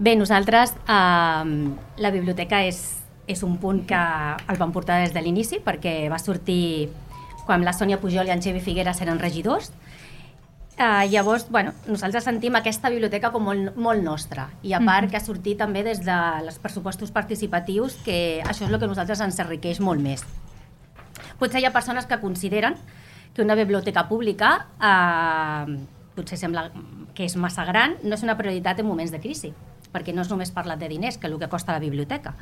Bé, nosaltres, la biblioteca és un punt que el vam portar des de l'inici, perquè va sortir quan la Sònia Pujol i en Xavi Figueres eren regidors. Llavors, nosaltres sentim aquesta biblioteca com molt nostra, i a part que ha sortit també des dels pressupostos participatius, que això és el que a nosaltres ens enriqueix molt més. Potser hi ha persones que consideren que una biblioteca pública potser sembla que és massa gran, no és una prioritat en moments de crisi, perquè no és només parlar de diners, que és el que costa la biblioteca,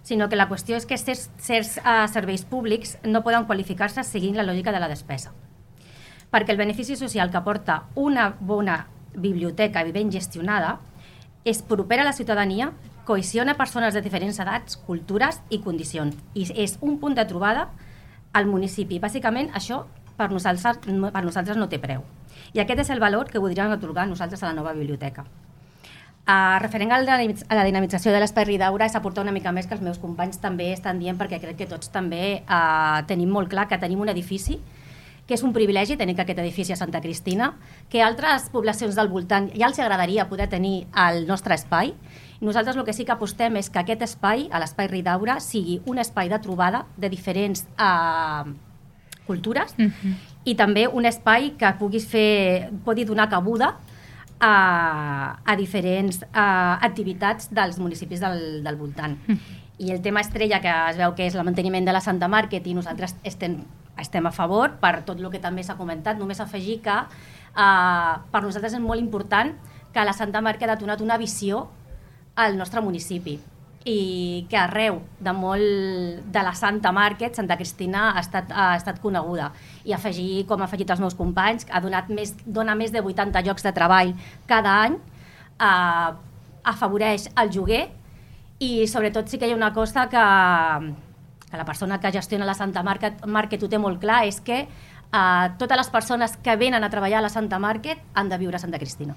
sinó que la qüestió és que certs serveis públics no poden qualificar-se seguint la lògica de la despesa. Perquè el benefici social que aporta una bona biblioteca ben gestionada és propera a la ciutadania, cohesiona persones de diferents edats, cultures i condicions, i és un punt de trobada al municipi. Bàsicament, això per nosaltres no té preu. I aquest és el valor que voldríem atorgar nosaltres a la nova biblioteca. Referent a la dinamització de l'Espai Ridaura, és aportar una mica més que els meus companys també estan dient, perquè crec que tots també tenim molt clar que tenim un edifici, que és un privilegi tenir aquest edifici a Santa Cristina, que altres poblacions del voltant ja els agradaria poder tenir el nostre espai. Nosaltres el que sí que apostem és que aquest espai, l'Espai Ridaura, sigui un espai de trobada de diferents cultures i també un espai que pugui donar cabuda a diferents activitats dels municipis del voltant. I el tema estrella, que es veu que és el manteniment de la Santa Market, i nosaltres estem a favor per tot el que també s'ha comentat. Només afegir que per nosaltres és molt important que la Santa Market ha donat una visió al nostre municipi, i que arreu de la Santa Market, Santa Cristina ha estat coneguda. I afegir, com ha afegit els meus companys, dona més de 80 llocs de treball cada any, afavoreix el lloguer, i sobretot sí que hi ha una cosa que la persona que gestiona la Santa Market ho té molt clar, és que totes les persones que venen a treballar a la Santa Market han de viure a Santa Cristina.